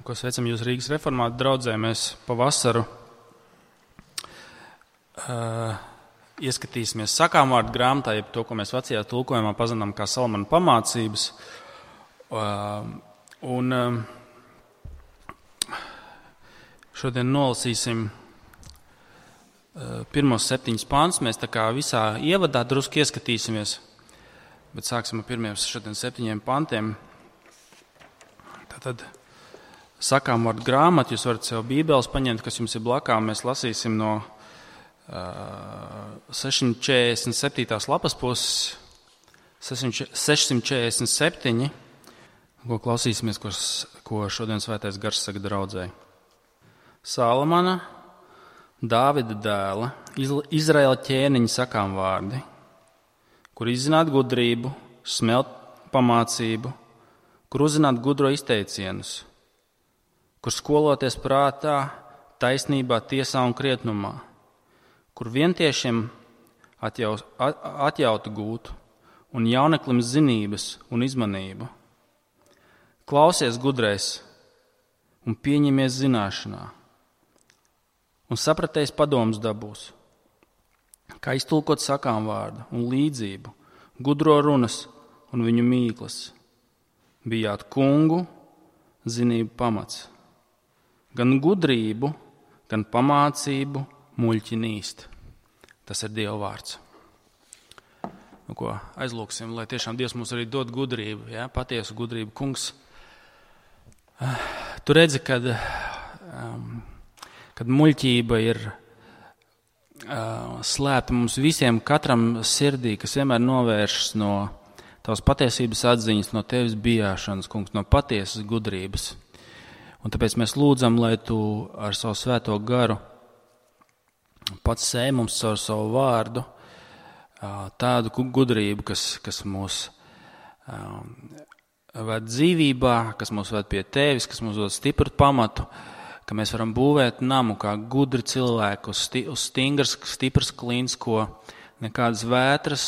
ko sveicam jūs Rīgas reformātu draudzē. Mēs pavasaru ieskatīsimies sakāmvārdu grāmatā, jeb to, ko mēs vecajā tulkojumā pazinām kā Salamana pamācības. Un šodien nolasīsim pirmos 7 pantus. Mēs tā kā visā ievadā drusku ieskatīsimies, bet sāksim ar pirmiem šodien 7 pantiem. Tātad sakāmvārdu grāmatu, jūs varat sev bībeles paņemt, kas jums ir blakām. Mēs lasīsim no 647. lapas puses, 647, ko klausīsimies, ko šodien svētais gars saka draudzei. Salamana, Dāvida dēla, Izraēla ķēniņa sakāmvārdi, kur izzināt gudrību, smelt pamācību, kur uzzināt gudro izteicienus, kur skoloties prātā, taisnībā, tiesā un krietnumā, kur vientiešiem atjautu gūtu un jauneklim zinības un izmanību. Klausies gudrais un pieņemies zināšanā, un sapratējis padomus dabūs, kā iztulkot sakāmvārdu un līdzību, gudro runas un viņu mīklas. Bijāt kungu zinību pamats. Gan gudrību, gan pamācību muļķi nīst. Tas ir Dieva vārds. Nu, ko aizlūksim, lai tiešām Dievs mums arī dod gudrību, ja? Patiesu gudrību. Kungs, tu redzi, kad muļķība ir slēpta mums visiem, katram sirdī, kas vienmēr novēršas no tavas patiesības atziņas, no tevis bijāšanas, kungs, no patiesas gudrības. Un tāpēc mēs lūdzam, lai tu ar savu svēto garu pats sēj mums caur savu vārdu tādu gudrību, kas mūs ved dzīvībā, kas mūs ved pie tevis, kas mums dod stipru pamatu, ka mēs varam būvēt namu kā gudri cilvēku uz stingras, stipras klīns, ko nekādas vētras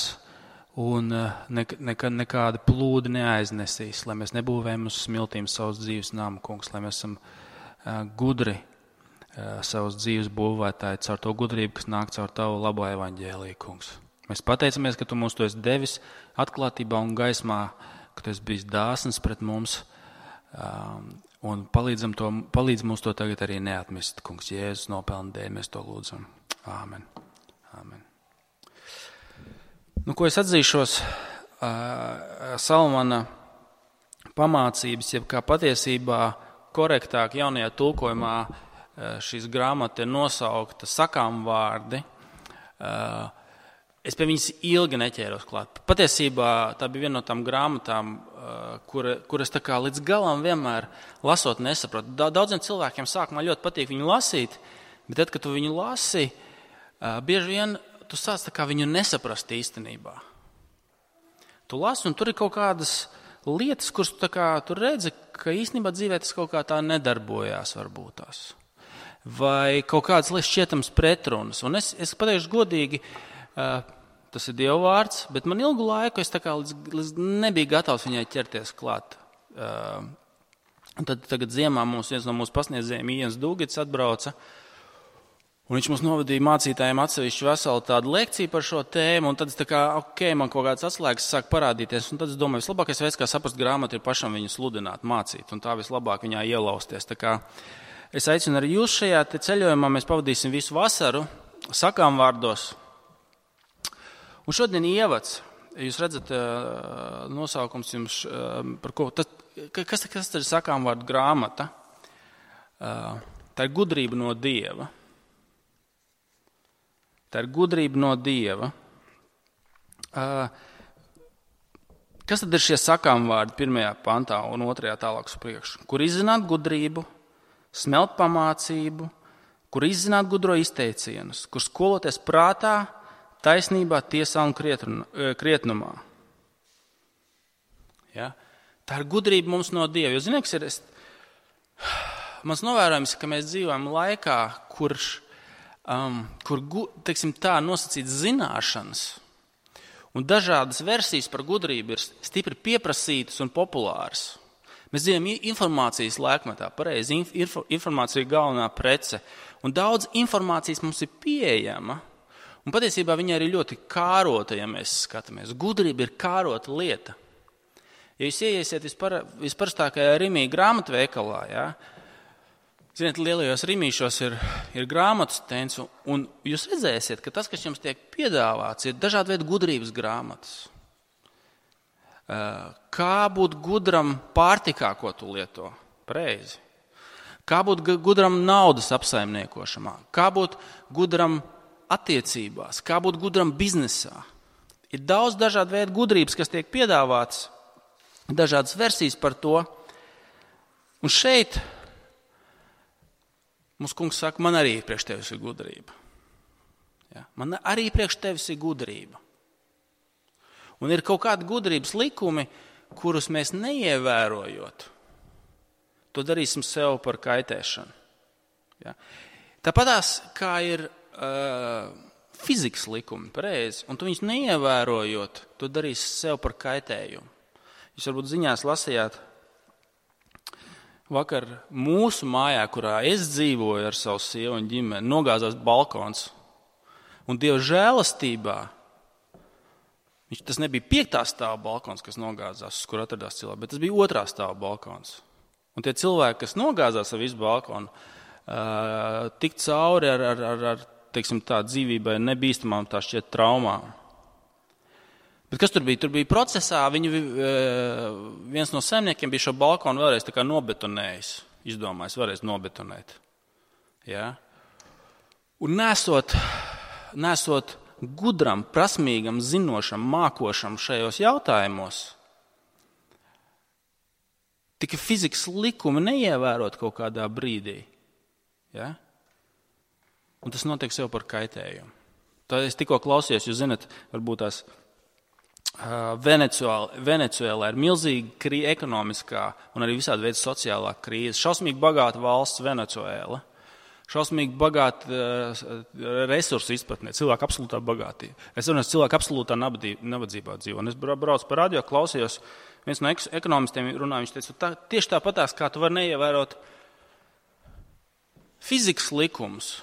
un nekāda plūdi neaiznesīs, lai mēs nebūvējam uz smiltīm savas dzīves namu, kungs, lai mēs esam gudri savas dzīves būvētāji caur to gudrību, kas nāk caur tavu labo evaņģēliju, kungs. Mēs pateicamies, ka tu mums to esi devis atklātībā un gaismā, ka tu esi bijis dāsns pret mums, un palīdz mums to tagad arī neatmest, kungs. Jēzus nopelna dēļ, mēs to lūdzam. Āmen. Āmen. Nu, ko es atzīšos, Salamana pamācības, jeb kā patiesībā korektāk jaunajā tulkojumā šīs grāmata ir nosaukta sakāmvārdi. Es pie viņas ilgi neķēros klāt. Patiesībā tā bija viena no tām grāmatām, kuras tā kā līdz galam vienmēr lasot nesaprotu. Daudziem cilvēkiem sākumā ļoti patīk viņu lasīt, bet tad, kad tu viņu lasi, bieži vien tu sāc tā kā viņu nesaprast īstenībā. Tu lasi, un tur ir kaut kādas lietas, kuras tu redzi, ka īstenībā dzīvē tas kaut kā tā nedarbojās varbūt tās. Vai kaut kādas lietas šķietams pretrunas. Un es pateikšu godīgi, tas ir Dieva vārds, bet man ilgu laiku es tā kā līdz nebiju gatavs viņai ķerties klāt. Un tad tagad ziemā viens no mūsu pasniedzējiem, Iens Dūgits, atbrauca, un viņš mums novadīja mācītājiem atsevišķu veselu tādu lekciju par šo tēmu, un tad es tā kā, man kaut kāds atslēgas sāk parādīties, un tad es domāju, vislabākais veids, kā saprast grāmatu, ir pašam viņu sludināt, mācīt, un tā vislabāk viņā ielausties. Tā kā es aicinu arī jūs šajā ceļojumā, mēs pavadīsim visu vasaru sakāmvārdos. Un šodien ievads, jūs redzat, nosaukums jums, par ko, kas ir sakāmvārdu grāmata? Tā ir gudrība no Dieva. Tā ir gudrība no Dieva. Kas tad ir šie sakāmvārdi 1. pantā un 2. tālāk uz priekšu? Kur izzināt gudrību, smelt pamācību, kur izzināt gudro izteicienus, kur skoloties prātā, taisnībā, tiesā un krietnumā. Ja? Tā ir gudrība mums no Dieva. Jo, ziniet, kas ir mans novērojums, ka mēs dzīvojam laikā, kur teiksim tā, nosacīts zināšanas un dažādas versijas par gudrību ir stipri pieprasītas un populāras. Mēs dzīvojam informācijas laikmetā, pareizi. Informācija ir galvenā prece. Un daudz informācijas mums ir pieejama. Un patiesībā viņa arī ļoti kārota, ja mēs skatāmies. Gudrība ir kārota lieta. Ja jūs ieiesiet visparastākajā Rimī grāmatveikalā, ja, ziniet, lielajos Rimīšos ir grāmatu stends, un jūs redzēsiet, ka tas, kas jums tiek piedāvāts, ir dažādi veidi gudrības grāmatas. Kā būt gudram pārtikā, ko tu lieto? Pareizi. Kā būt gudram naudas apsaimniekošanā? Kā būt gudram attiecībās? Kā būt gudram biznesā? Ir daudz dažādu veidu gudrības, kas tiek piedāvāts, dažādas versijas par to. Un šeit mums kungs saka, man arī priekš tevis ir gudrība. Ja? Man arī priekš tevis ir gudrība. Un ir kaut kādi gudrības likumi, kurus mēs neievērojot, to darīsim sev par kaitēšanu. Ja? Tāpatās, kā ir fizikas likumi, pareizi, un tu viņus neievērojot, to darīsi sev par kaitējumu. Jūs varbūt ziņās lasījāt vakar mūsu mājā, kurā es dzīvoju ar savu sievu un ģimeni, nogāzās balkons. Un Dieva žēlastībā, tas nebija 5. stāva balkons, kas nogāzās, uz kur atradās cilvēki, bet tas bija 2. stāva balkons. Un tie cilvēki, kas nogāzās ar visu balkonu, tik cauri ar teiksim tā, dzīvībai nebīstamām tā šķiet traumām. Bet kas tur bija? Tur bija procesā, viens no saimniekiem bija šo balkonu vēlreiz tā kā nobetonējis, izdomājis vēlreiz nobetonēt. Ja? Un nesot gudram, prasmīgam, zinošam, mākošam šajos jautājumos, tika fizikas likumi neievērot kaut kādā brīdī. Ja? Un tas notiek sev par kaitējumu. Tā es tikko klausījos, jūs zinat, varbūt tās Venecuēlā ir milzīga ekonomiskā un arī visādi veidi sociālā krīze. Šausmīgi bagāta valsts Venecuēla. Šausmīgi bagāta resursu izpratnē, cilvēku absolūtā bagātība. Es runāju, cilvēku absolūtā nabadzībā dzīvo. Un es braucu pa radio, klausījos, viens no ekonomistiem runāja, viņš teica, tieši tāpatās, kā tu vari neievērot fizikas likumus,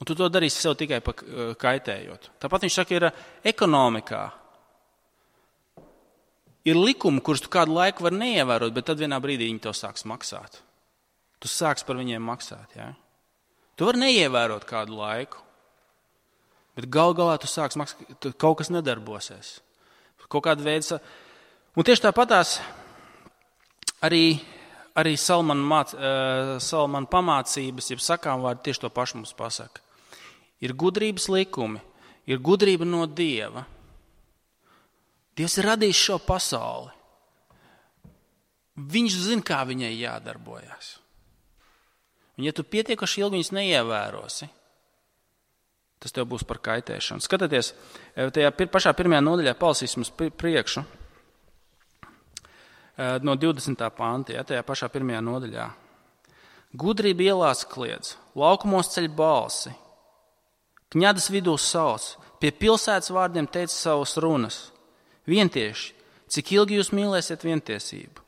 un tu to darīsi sev tikai kaitējot. Tāpat viņš saka, ir ekonomikā. Ir likumi, kurus tu kādu laiku vari neievērot, bet tad vienā brīdī viņi to sāks maksāt. Tu sāks par viņiem maksāt. Ja? Tu vari neievērot kādu laiku, bet gal galā tu sāks maksāt, kaut kas nedarbosies. Kaut kāda veida. Un tieši tāpatās arī Salmana pamācības, jeb sakām vārdi tieši to pašu mums pasaka. Ir gudrības likumi, ir gudrība no Dieva. Dievs ir radījis šo pasauli. Viņš zina, kā viņai jādarbojas. Un ja tu pietiekoši ilgi viņus neievērosi, tas tev būs par kaitēšanu. Skatieties, tajā pašā pirmajā nodaļā palasīsim uz priekšu, no 20. panta, ja, tajā pašā pirmajā nodaļā. Gudrība ielās kliedz, laukumos ceļ balsi, kņadas vidū sauc, pie pilsētas vārdiem teica savas runas. Vientieši, cik ilgi jūs mīlēsiet vientiesību?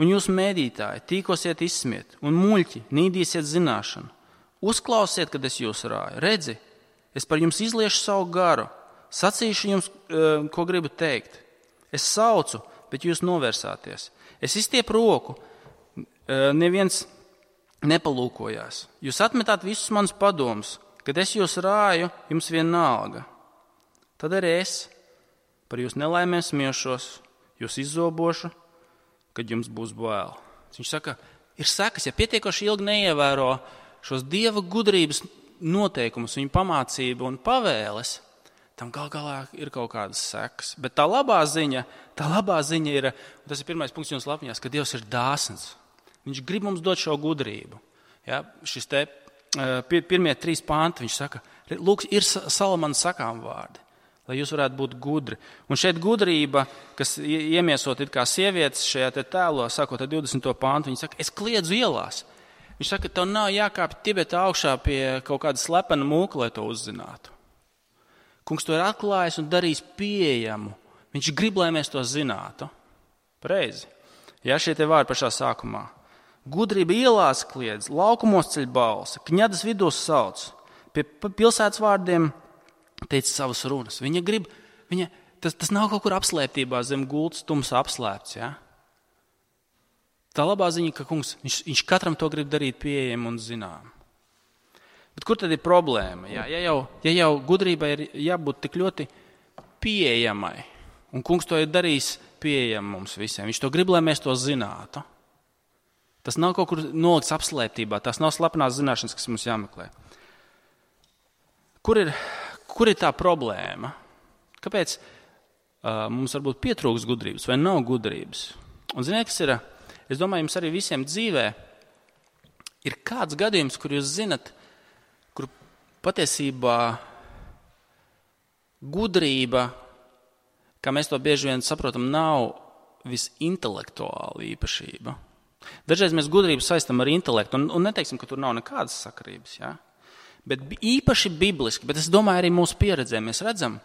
Un jūs mēdītāji, tīkosiet izsmiet, un muļķi, nīdīsiet zināšanu. Uzklausiet, kad es jūs rāju. Redzi, es par jums izliešu savu garu, sacīšu jums, ko gribu teikt. Es saucu, bet jūs novērsāties. Es izstiepu roku, neviens nepalūkojās. Jūs atmetāt visus manus padomus, kad es jūs rāju, jums vienalga. Tad arī es par jūs nelaimēm smiešos, jūs izzobošu, kad jums būs bail. Viņš saka, ir sekas, ja pietiekoši ilgi neievēro šos Dieva gudrības noteikumus, viņa pamācību un pavēles, tam gal galā ir kaut kādas sekas. Bet tā labā ziņa ir, un tas ir pirmais punkts jums lapņās, ka Dievs ir dāsns. Viņš grib mums dot šo gudrību. Ja, šis te pirmie 3 panti, viņš saka, lūk, ir Salmana sakām vārdi, lai jūs varētu būt gudri. Un šeit gudrība, kas iemiesot it kā sievietes šajā te tēlā, sākot ar 20. pantu, viņa saka, es kliedzu ielās. Viņš saka, tev nav jākāpj Tibeta augšā pie kaut kāda slepena mūka, lai to uzzinātu. Kungs to ir atklājis un darījis pieejamu. Viņš grib, lai mēs to zinātu. Pareizi. Ja, šie te vārdi pašā sākumā. Gudrība ielās kliedz, laukumos ceļ balsi, kņadas vidūs sauc. Pie pilsētas vārdiem teica savas runas. Viņa grib, tas nav kaut kur apslēptībā zem gultas tumsā apslēpts. Ja? Tā labā ziņa, ka kungs, viņš katram to grib darīt pieejam un zinām. Bet kur tad ir problēma? Ja jau gudrībai ir jābūt tik ļoti pieejamai, un kungs to ir darījis pieejam mums visiem. Viņš to grib, lai mēs to zinātu. Tas nav kaut kur nolikts apslēptībā, tās nav slepenās zināšanas, kas mums jāmeklē. Kur ir tā problēma? Kāpēc mums varbūt pietrūks gudrības vai nav gudrības? Un ziniet, kas ir? Es domāju, jums arī visiem dzīvē ir kāds gadījums, kur jūs zinat, kur patiesībā gudrība, kā mēs to bieži vien saprotam, nav visintelektuāla īpašība. Dažreiz mēs gudrību saistam ar intelektu, un neteiksim, ka tur nav nekādas sakarības. Ja? Bet īpaši bibliski, bet es domāju arī mūsu pieredzē, mēs redzam,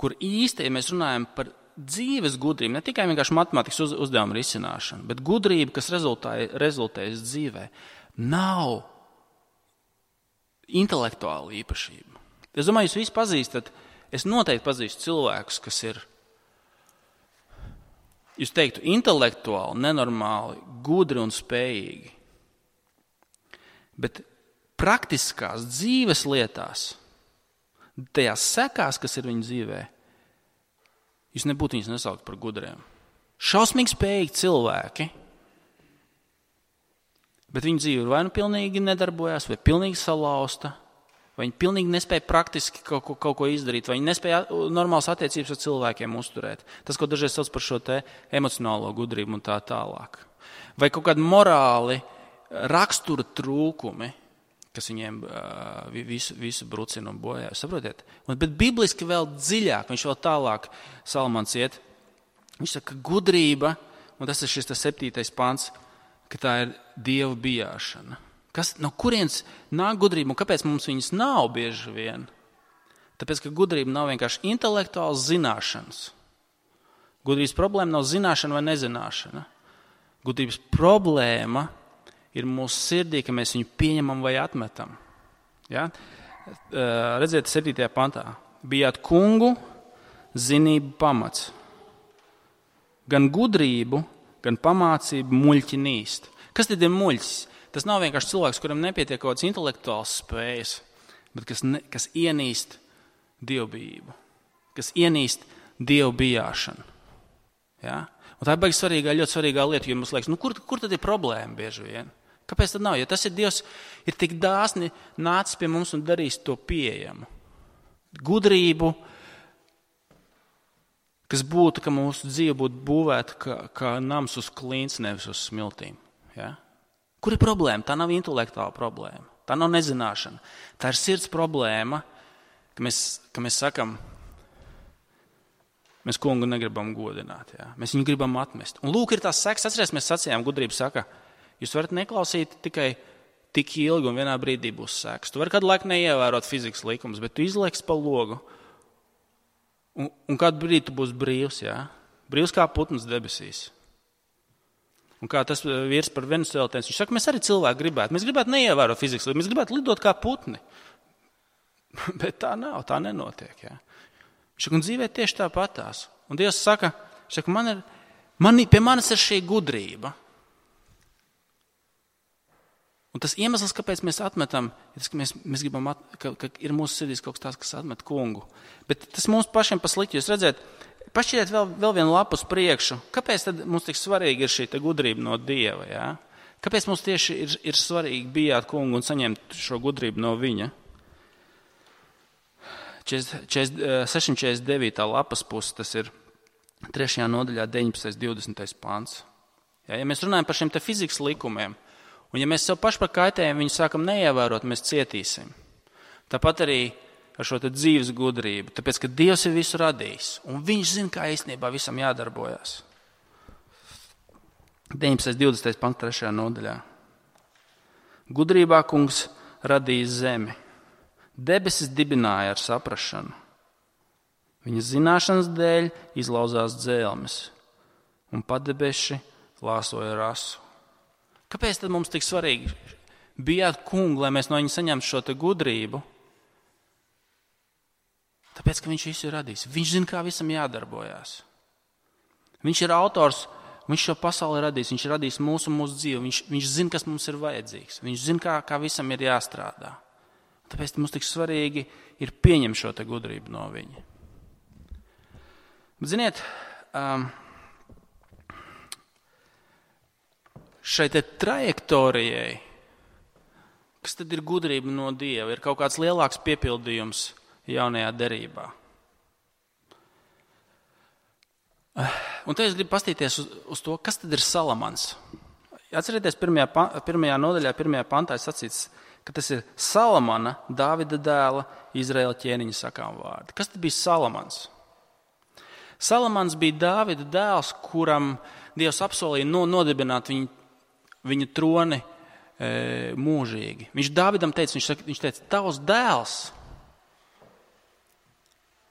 kur īsti, ja mēs runājam par dzīves gudrību, ne tikai vienkārši matemātikas uzdevumu risināšanu, bet gudrību, kas rezultējas dzīvē, nav intelektuāla īpašība. Es domāju, jūs visi pazīstat, es noteikti pazīstu cilvēkus, kas ir, jūs teiktu, intelektuāli, nenormāli, gudri un spējīgi. Bet praktiskās dzīves lietās, tajās sekās, kas ir viņu dzīvē, jūs nebūtu viņus nesaukt par gudriem. Šausmīgi spējīgi cilvēki, bet viņu dzīve vai nu pilnīgi nedarbojās, vai pilnīgi salauzta, vai viņi pilnīgi nespēja praktiski kaut ko izdarīt, vai viņi nespēja normālas attiecības ar cilvēkiem uzturēt. Tas, ko dažreiz sauc par šo te emocionālo gudrību un tā tālāk. Vai kaut kādi morāli rakstura trūkumi, kas viņiem visu brucina un bojā. Saprotiet? Bet bibliski vēl dziļāk, viņš vēl tālāk Salmans iet. Viņš saka, ka gudrība, un tas ir šis 7. pants, ka tā ir Dieva bijāšana. No kurienes nāk gudrība un kāpēc mums viņas nav bieži vien? Tāpēc, ka gudrība nav vienkārši intelektuāls zināšanas. Gudrības problēma nav zināšana vai nezināšana. Gudrības problēma ir mūsu sirdī, ka mēs viņu pieņemam vai atmetam. Ja? Redziet, 7. pantā. Bijāt kungu, zinību pamats. Gan gudrību, gan pamācību muļķi nīst. Kas tad ir muļķis? Tas nav vienkārši cilvēks, kuram nepietiek kaut kāds intelektuāls spējas, bet kas ienīst dievbijību, kas ienīst dievu bijāšanu. Ja? Un tā ir baigi svarīgā, ļoti svarīgā lieta, jo mums liekas, kur tad ir problēma bieži vien? Kāpēc tad nav? Ja tas ir Dievs, ir tik dāsni nācis pie mums un darījis to pieejamu. Gudrību, kas būtu, ka mūsu dzīve būtu būvēta kā nams uz klints, nevis uz smiltīm. Ja? Kur ir problēma? Tā nav intelektuāla problēma. Tā nav nezināšana. Tā ir sirds problēma, ka mēs sakam, mēs kungu negribam godināt. Ja? Mēs viņu gribam atmest. Un lūk, ir tās sekas. Atcerieties, mēs sacījām, gudrība saka, jūs varat neklausīt tikai tik ilgi un vienā brīdī būs sekas. Tu vari kādu laiku neievērot fizikas likumus, bet tu izlieks pa logu. Un kādu brīdi tu būsi brīvs. Ja? Brīvs kā putns debesīs. Un kā tas vīrs par venezuelētājiem, viņš saka, mēs arī cilvēki gribētu. Mēs gribētu neievērot fizikas likumus, mēs gribētu lidot kā putni. Bet tā nav, tā nenotiek. Ja? Viņš saka, un dzīvē tieši tāpatās. Un Dievs saka, pie manis ir šī gudrība. Un tas iemesls, kāpēc mēs atmetam, ir tas, ka mēs gribam, ka ir mūsu sirdīs kaut kas tāds, kas atmet kungu. Bet tas mums pašiem paslikti. Jūs redzēt, pašķiriet vēl vienu lapu uz priekšu. Kāpēc tad mums tik svarīgi ir šī gudrība no Dieva? Ja? Kāpēc mums tieši ir svarīgi bijāt kungu un saņemt šo gudrību no viņa? 649. lapas puses, tas ir 3. nodaļā 19. 20. pants. Ja mēs runājam par šiem te fizikas likumiem, un ja mēs sev paši par kaitējumu viņu sākam neievērot, mēs cietīsim. Tāpat arī ar šo te dzīves gudrību, tāpēc, ka Dievs ir visu radījis, un viņš zina, kā īstenībā visam jādarbojas. 19. 20. pants 3. nodaļā. Gudrībā kungs radīja zemi. Debesis dibināja ar saprašanu. Viņa zināšanas dēļ izlauzās dzelmes, un padebeši lāsoja rasu. Kāpēc tad mums tik svarīgi bijāt kungu, lai mēs no viņa saņemtu šo te gudrību? Tāpēc, ka viņš visu ir radījis. Viņš zina, kā visam jādarbojās. Viņš ir autors, viņš šo pasauli ir radījis, viņš ir radījis mūsu dzīvi, viņš zina, kas mums ir vajadzīgs, viņš zina, kā visam ir jāstrādā. Tāpēc mums tik svarīgi ir pieņemt šo te gudrību no viņa. Bet, ziniet, šai te trajektorijai, kas tad ir gudrība no Dieva, ir kaut kāds lielāks piepildījums jaunajā derībā. Un te es gribu pastīties uz to, kas tad ir Salamans. Atcerieties, pirmajā nodaļā, 1. pantā ir sacīts, ka tas ir Salamana, Dāvida dēla, Izraēla ķēniņa sakām vārdi. Kas tad bija Salamans? Salamans bija Dāvida dēls, kuram Dievs apsolīja nodibināt viņa troni mūžīgi. Viņš Dāvidam teica, viņš teica, tavs dēls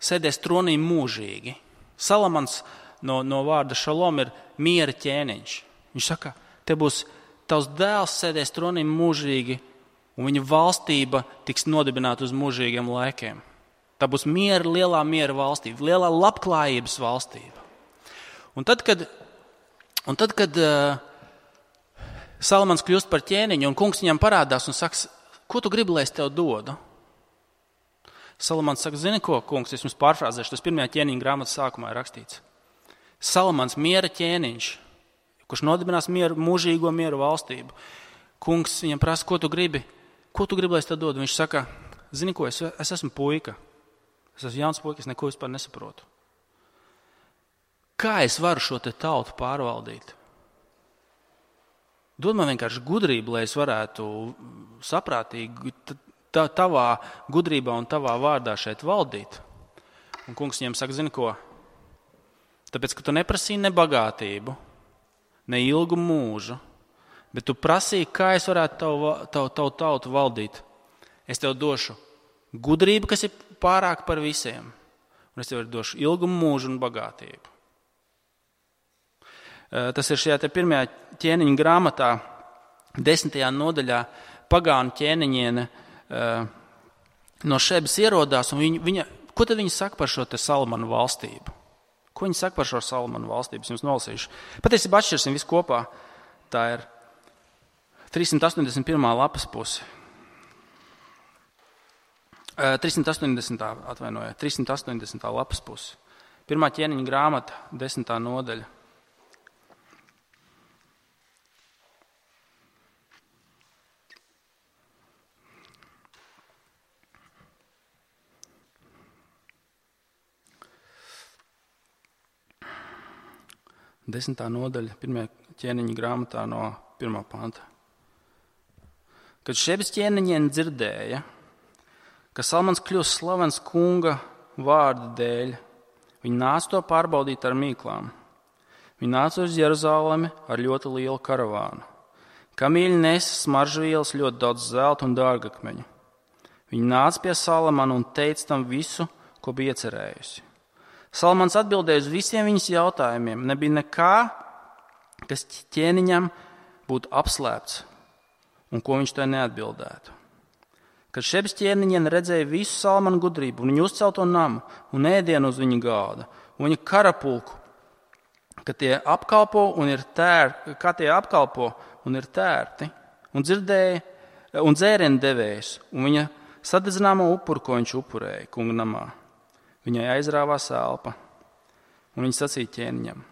sēdēs tronī mūžīgi. Salamans no vārda šalom ir miera ķēniņš. Viņš saka, te būs tavs dēls sēdēs tronī mūžīgi, un viņa valstība tiks nodibināta uz mūžīgiem laikiem. Tā būs lielā miera valstība, lielā labklājības valstība. Un tad, kad Salamans kļūst par ķēniņu, un kungs viņam parādās un saka, ko tu gribi, lai es tev dodu? Salamans saka, zini ko, kungs, es jums pārfrāzēšu, tas 1. ķēniņa grāmatas sākumā ir rakstīts. Salamans miera ķēniņš, kurš nodibinās mūžīgo mieru valstību. Kungs viņam prasa, ko tu gribi, lai es tev dodu? Viņš saka, zini ko, es esmu puika. Es esmu jauns puika, es neko vispār nesaprotu. Kā es varu šo te tautu pārvaldīt? Dod man vienkārši gudrību, lai es varētu saprātīgi tavā gudrībā un tavā vārdā šeit valdīt. Un kungs viņam saka, zini ko? Tāpēc, ka tu neprasīji ne bagātību, ne ilgu mūžu, bet tu prasīji, kā es varētu tavu tautu valdīt. Es tev došu gudrību, kas ir pārāk par visiem, un es tev došu ilgu mūžu un bagātību. Tas ir šajā te 1. ķēniņa grāmatā, 10. nodaļā, pagānu ķēniņiene no Šebas ierodās, un ko tad viņa saka par šo te Salamanu valstību? Ko viņa saka par šo Salamanu valstību? Es jums nolasīšu. Patiesībā atšķirsim visu kopā. Tā ir 381. lapas puse. 380. lapas puse. 1. ķēniņa grāmata, 10. nodaļa. Desmitā nodaļa, 1. ķēniņa grāmatā no 1. panta. Kad Šebas ķēniņiene dzirdēja, ka Salamans kļūst slavens kunga vārda dēļ, viņa nāca to pārbaudīt ar mīklām. Viņa nāca uz Jeruzalemi ar ļoti lielu karavānu. Kamīļi nesa smaržvielas, ļoti daudz zelta un dārgakmeņu. Viņa nāca pie Salamana un teica tam visu, ko bija iecerējusi. Salamans atbildēja uz visiem viņas jautājumiem. Nebija nekā, kas ķēniņam būtu apslēpts un ko viņš tai neatbildētu. Kad Šebas ķēniņiene redzēja visu Salamana gudrību un viņa uzcelto namu un ēdienu uz viņa galda un viņa karapulku, ka tie apkalpo un ir tērti un dzirdēja un dzērienu devējs un viņa sadedzināmo upuru, ko viņš upurēja kunga namā. Viņai aizrāvās elpa, un viņa sacīja ķēniņam: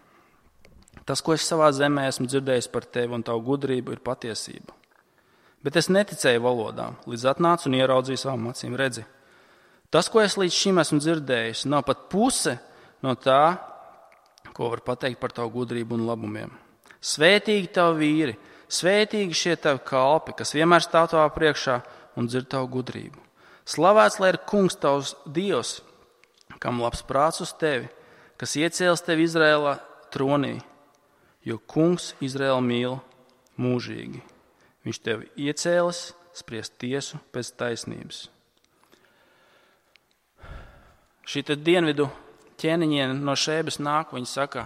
tas, ko es savā zemē esmu dzirdējis par tevi un tavu gudrību, ir patiesība. Bet es neticēju valodām, līdz atnācu un ieraudzīju savām acīm. Redzi, tas, ko es līdz šim esmu dzirdējis, nav pat puse no tā, ko var pateikt par tavu gudrību un labumiem. Svētīgi tavi vīri, svētīgi šie tavi kalpi, kas vienmēr stāv tavā priekšā un dzird tavu gudrību. Slavēts, lai ir kungs tavs Dievs, kam labs prāts uz tevi, kas iecēlis tevi Izraēlā tronī, jo kungs Izraēlu mīl mūžīgi. Viņš tevi iecēlis spriest tiesu pēc taisnības. Šī te dienvidu ķēniņiene no Šebas nāk, viņa saka,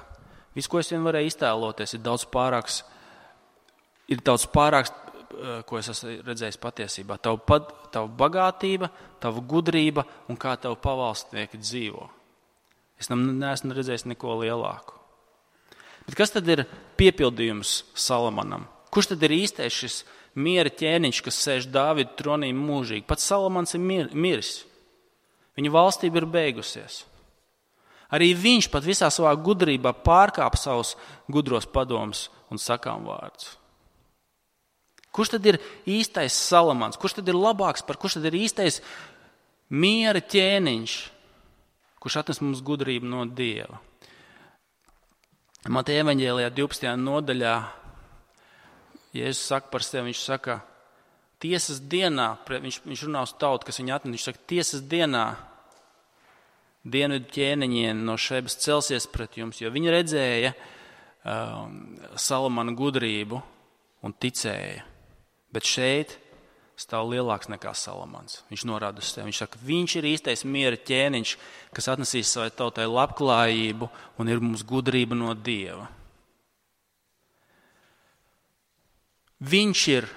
Viss, ko es vien varēju iztēloties, ir daudz pārāks, ko es esmu redzējis patiesībā. Tava bagātība, tava gudrība un kā tavu pavalstnieki dzīvo. Es neesmu redzējis neko lielāku. Bet kas tad ir piepildījums Salamanam? Kurš tad ir īstais šis miera ķēniņš, kas sēž Dāvida tronī mūžīgi? Pats Salamans ir miris. Viņa valstība ir beigusies. Arī viņš pat visā savā gudrībā pārkāpa savus gudros padomus un sakām vārdus. Kurš tad ir īstais Salamans? Kurš tad ir labāks kurš tad ir īstais miera ķēniņš, kurš atnes mums gudrību no Dieva? Mateja evaņģēlijā 12. nodaļā Jēzus saka par sevi, viņš saka, tiesas dienā, viņš runā uz tautu, kas viņu atnes, viņš saka, tiesas dienā dienvidu ķēniņieni no Šebas celsies pret jums, jo viņi redzēja Salamana gudrību un ticēja. Bet šeit stāv lielāks nekā Salamans. Viņš norāda uz sevi. Viņš saka, viņš ir īstais miera ķēniņš, kas atnesīs savai tautai labklājību un ir mums gudrība no Dieva. Viņš ir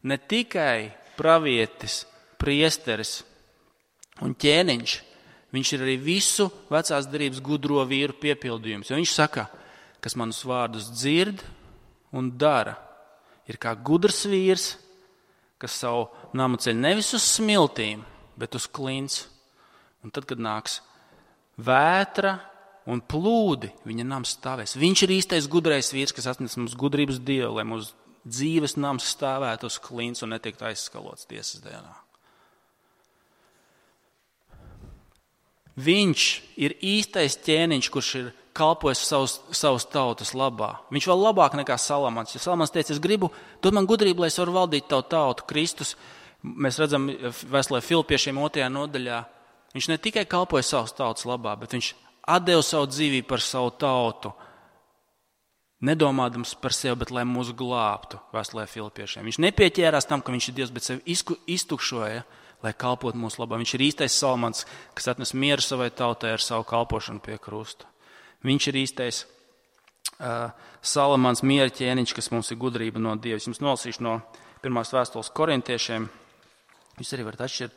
ne tikai pravietis, priesteris un ķēniņš, viņš ir arī visu vecās derības gudro vīru piepildījums. Jo viņš saka, kas manus vārdus dzird un dara, ir kā gudrs vīrs, kas savu namu ceļ nevis uz smiltīm, bet uz klints. Un tad, kad nāks vētra un plūdi, viņa nams stāvēs. Viņš ir īstais gudrais vīrs, kas atnes mums gudrības Dievu, lai mūsu dzīves nams stāvētu uz klints un netiektu aizskalots tiesas dienā. Viņš ir īstais ķēniņš, kurš ir kalpojis savas tautas labā. Viņš vēl labāk nekā Salamans. Ja Salamans teica, es gribu, dod man gudrību, lai es varu valdīt tavu tautu. Kristus, mēs redzam vēstulē Filipiešiem 2. nodaļā, viņš ne tikai kalpoja savas tautas labā, bet viņš atdeva savu dzīvību par savu tautu, nedomādams par sevi, bet lai mūs glābtu vēstulē Filipiešiem. Viņš nepieķērās tam, ka viņš ir Dievs, bet sevi iztukšoja, lai kalpot mūsu labā. Viņš ir īstais Salamans, kas atnes mieru savai tautai ar savu kalpošanu pie krusta. Viņš ir īstais Salamans miera ķēniņš, kas mums ir gudrība no Dieva. Es jums nolasīšu no 1. vēstules korintiešiem. Jūs arī varat atšķirt.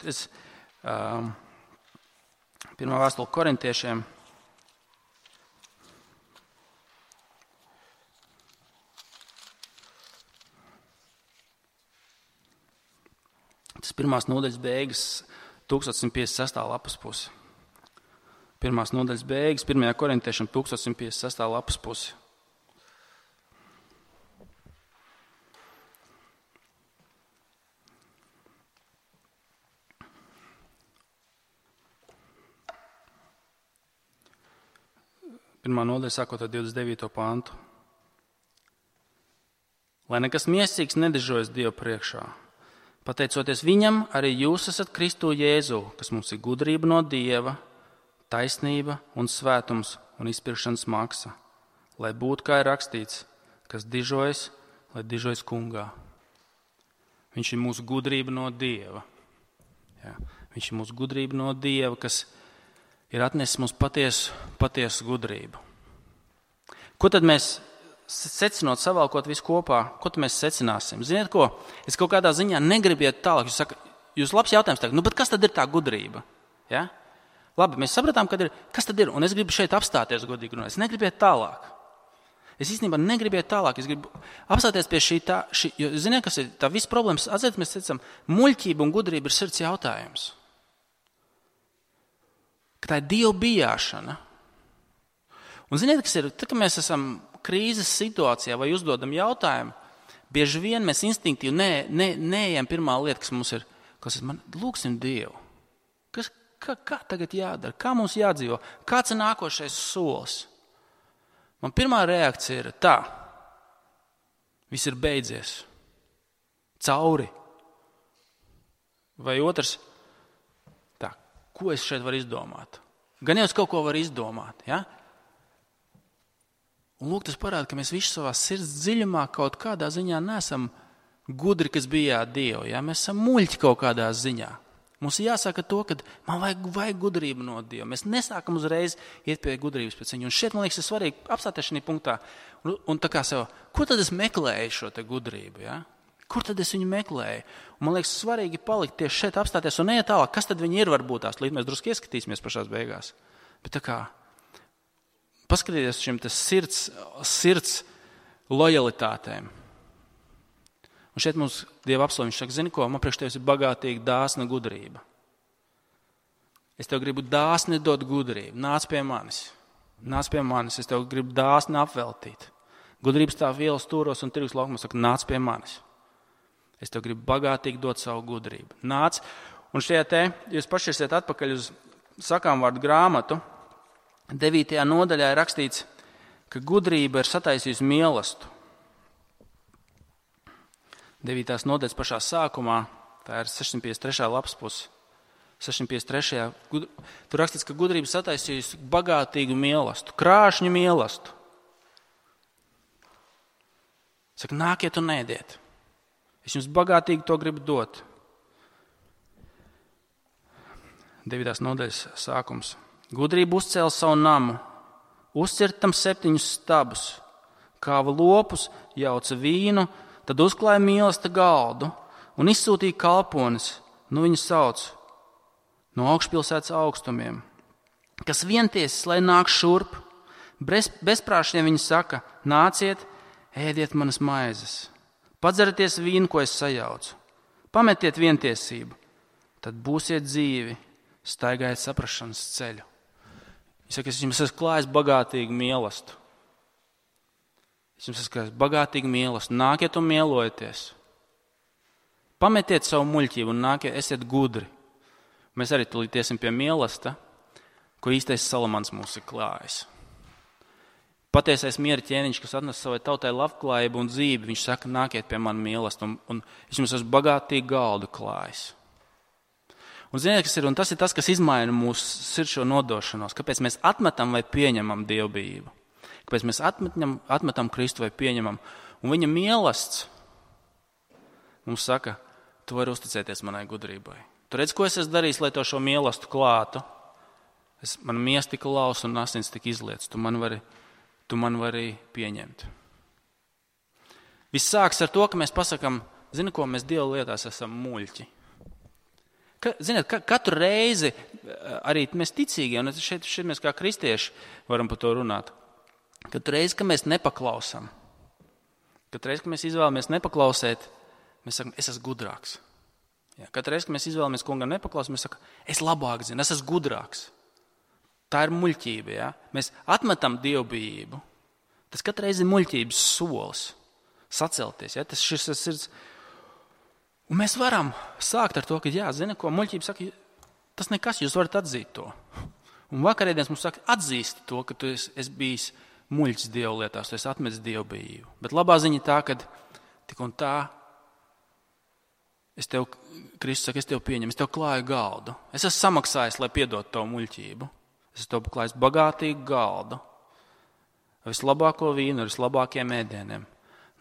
1. vēstule korintiešiem. Tas 1. nodaļas beigas, 1156. lapas pusi. 1. nodaļas beigas, 1. korintiešiem 1156. lapas pusi. Pirmā nodaļa sākot ar 29. pantu. Lai nekas miesīgs nedežojas Dievu priekšā. Pateicoties viņam, arī jūs esat Kristu Jēzu, kas mums ir gudrība no Dieva, taisnība un svētums un izpirkšanas maksa, lai būtu, kā ir rakstīts, kas dižojas, lai dižojas kungā. Viņš ir mūsu gudrība no Dieva. Jā. Viņš ir mūsu gudrība no Dieva, kas ir atnesis mums patiesu gudrību. Ko tad mēs secinot, savalkot visu kopā, ko tad mēs secināsim? Ziniet ko? Es kaut kādā ziņā negribu iet tālāk. Jūs labs jautājums tagad, bet kas tad ir tā gudrība? Ja? Labi, mēs sapratām, kas tad ir, un es gribu šeit apstāties godīgi runāt. Es negribu iet tālāk. Es īstenībā negribu iet tālāk. Es gribu apstāties pie šī, jo ziniet, kas ir tā viss problēmas? Atcerieties, mēs teicam, muļķība un gudrība ir sirds jautājums. Ka tā ir Dieva bijāšana. Un ziniet, kas ir, tad, kad mēs esam krīzes situācijā vai uzdodam jautājumu, bieži vien mēs instinktīvi neejam pirmā lieta, kas mums ir, lūksim Dievu. Kā tagad jādara? Kā mums jādzīvo? Kāds ir nākošais solis? Man pirmā reakcija ir tā. Viss ir beidzies. Cauri. Vai otrs, tā, ko es šeit varu izdomāt? Gan jau es kaut ko varu izdomāt, ja? Un lūk, tas parāda, ka mēs visi savā sirds dziļumā kaut kādā ziņā neesam gudri, kas bijāt Dievu. Ja? Mēs esam muļķi kaut kādā ziņā. Mums ir jāsaka to, ka man vajag gudrību no Dieva. Mēs nesākam uzreiz iet pie gudrības pēc viņa. Un šeit, man liekas, ir svarīgi apstāties šajā punktā un tā kā sev, ko tad es meklēju šo te gudrību? Ja? Kur tad es viņu meklēju? Un man liekas, svarīgi palikt tieši šeit apstāties un neiet tālāk. Kas tad viņi ir varbūt tās? Līdz mēs drusku ieskatīsimies pašās beigās. Bet tā kā paskatieties šim sirds lojalitātēm. Un šeit mums Dieva apsolījums saka, zini ko, man priekš tevis ir bagātīga dāsna gudrība. Es tev gribu dāsni dot gudrību. Nāc pie manis. Es tev gribu dāsni apveltīt. Gudrības tā vielas stūros un tirgus laukumos saka, nāc pie manis. Es tev gribu bagātīgi dot savu gudrību. Nāc, un šajā te, jūs pašķirsiet atpakaļ uz sakām vārdu grāmatu, 9. nodaļā ir rakstīts, ka gudrība ir sataisījusi mīlestību. 9. nodaļas pašā sākumā, tā ir 653. lapas puse. 653. Tur rakstīts, ka gudrība sataisījusi bagātīgu mīlestību, krāšņu mīlestību. Saka, nākiet un ēdiet. Es jums bagātīgi to gribu dot. 9. nodaļas sākums. Gudrība uzcēla savu namu, uzcirta tam 7 stabus, kāva lopus, jauca vīnu, tad uzklāja mīlestību galdu un izsūtīja kalpones, viņu sauc no augšpilsētas augstumiem, kas vientiesis, lai nāk šurp. Bezprāšiem viņi saka, nāciet, ēdiet manas maizes, padzerieties vīnu, ko es sajaucu, pametiet vientiesību, tad būsiet dzīvi, staigājiet saprašanas ceļu. Es saku, es jums esmu klājis bagātīgu mīlestību. Es jums esmu bagātīgi mīlestību. Nākiet un mielojieties. Pametiet savu muļķību un nākiet, esiet gudri. Mēs arī tulīt iesim pie mīlestības, ko īstais Salamans mums ir klājis. Patiesais miera ķēniņš, kas atnes savai tautai labklājību un dzīvi, viņš saka, nākiet pie man mīlestību, un es jums esmu bagātīgi galdu klājis. Un ziniet, kas ir, un tas ir tas, kas izmaina mūsu sirds nodošanos. Kāpēc mēs atmetam vai pieņemam dievbijību? Kāpēc mēs atmetam Kristu vai pieņemam? Un viņa mīlestība mums saka, tu vari uzticēties manai gudrībai. Tu redz, ko es esmu darījis, lai to šo mīlestību klātu? Man miesa tika lausa un asins tika izlietas. Tu man vari pieņemt. Viss sāks ar to, ka mēs pasakam, zini ko, mēs Dieva lietās esam muļķi. Ziniet, katru reizi, arī mēs ticīgie, un šeit mēs kā kristieši varam par to runāt, katru reizi, ka mēs nepaklausam, katru reizi, ka mēs izvēlamies nepaklausēt, mēs sakam, es esmu gudrāks. Katru reizi, ka mēs izvēlamies kungam nepaklausīt, mēs sakam, es labāk zinu, es esmu gudrāks. Tā ir muļķība. Ja? Mēs atmetam dievbijību. Tas katru reizi ir muļķības solis. Sacelties. Ja? Tas šis sirds. Un mēs varam sākt ar to, ka, zini, ko muļķība saka, tas nekas, jūs varat atzīt to. Un vakarēdienas mums saka, atzīsti to, ka tu esi bijis muļķis Dievu lietās, tu esi atmetis dievbijību. Bet labā ziņa tā, ka tik un tā, Kristus saka, es tev pieņemu, es tev klāju galdu. Es esmu samaksājis, lai piedot tavu muļķību. Es tev klāju bagātīgu galdu. Vislabāko vīnu ar vislabākiem ēdieniem.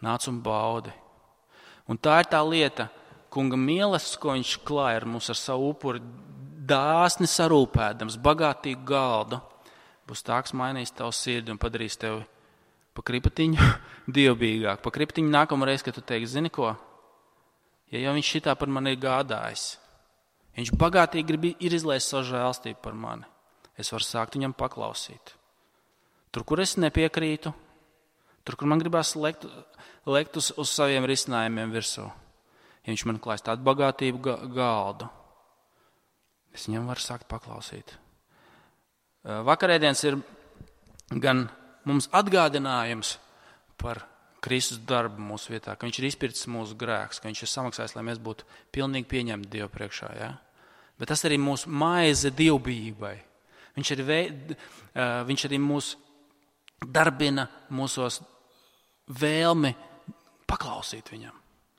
Nāc un baudi. Un tā ir tā lieta, kunga mīlestības, ko viņš klāja ar mums ar savu upuri, dāsni sarūpēdams, bagātīgu galdu, būs tā, kas mainīs tavu sirdi un padarīs tevi pa kripatiņu dievbijīgāk. Pa kripatiņu nākamreiz, kad tu teiksi, zini ko, ja jau viņš šitā par mani ir gādājis, viņš bagātīgi ir izlējis savu žēlstību par mani, es varu sākt viņam paklausīt. Tur, kur es nepiekrītu, tur, kur man gribās lekt uz saviem risinājumiem virsū. Ja viņš man klājas tādu bagātību galdu, es viņam varu sākt paklausīt. Vakarēdienas ir gan mums atgādinājums par Kristus darbu mūsu vietā, ka viņš ir izpircis mūsu grēkus, ka viņš ir samaksājis, lai mēs būtu pilnīgi pieņemti Dievu priekšā. Ja? Bet tas arī mūsu maize dievbijībai. Viņš arī mūs darbina mūsos vēlmi paklausīt viņam.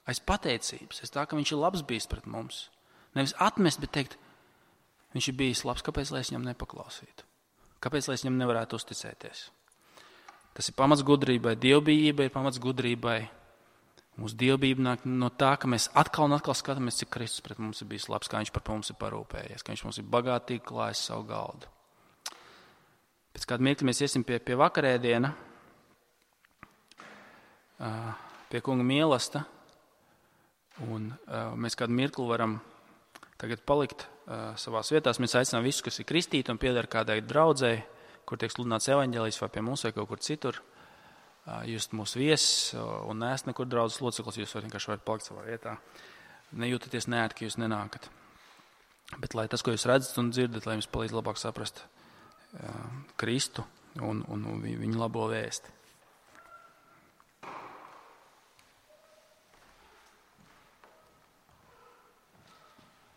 Aiz pateicības, aiz tā, ka viņš ir labs bijis pret mums. Nevis atmest, bet teikt, viņš ir bijis labs, kāpēc lai es viņam nepaklausītu? Kāpēc lai es viņam nevarētu uzticēties? Tas ir pamats gudrībai, dievbijībai ir pamats gudrībai, Mūsu dievbijība nāk no tā, ka mēs atkal un atkal skatāmies, cik Kristus pret mums ir bijis labs, kā viņš par mums ir parūpējies, ka viņš mums ir bagātīgi klājis savu galdu. Pēc kāda mirkļa mēs iesim pie vakarēdiena, pie kunga mīlesta, un mēs kādu mirkli varam tagad palikt savās vietās. Mēs aicinām visus, kas ir kristīti un pieder kādai draudzei, kur tiek sludināts evaņģēlijs vai pie mums vai kaut kur citur. Jūs mūsu viesis un neesat nekur draudzes loceklis, jūs vienkārši varat palikt savā vietā. Nejūtaties neērti, ka jūs nenākat. Bet lai tas, ko jūs redzat un dzirdat, lai jums palīdz labāk saprast Kristu un viņa labo vēsti.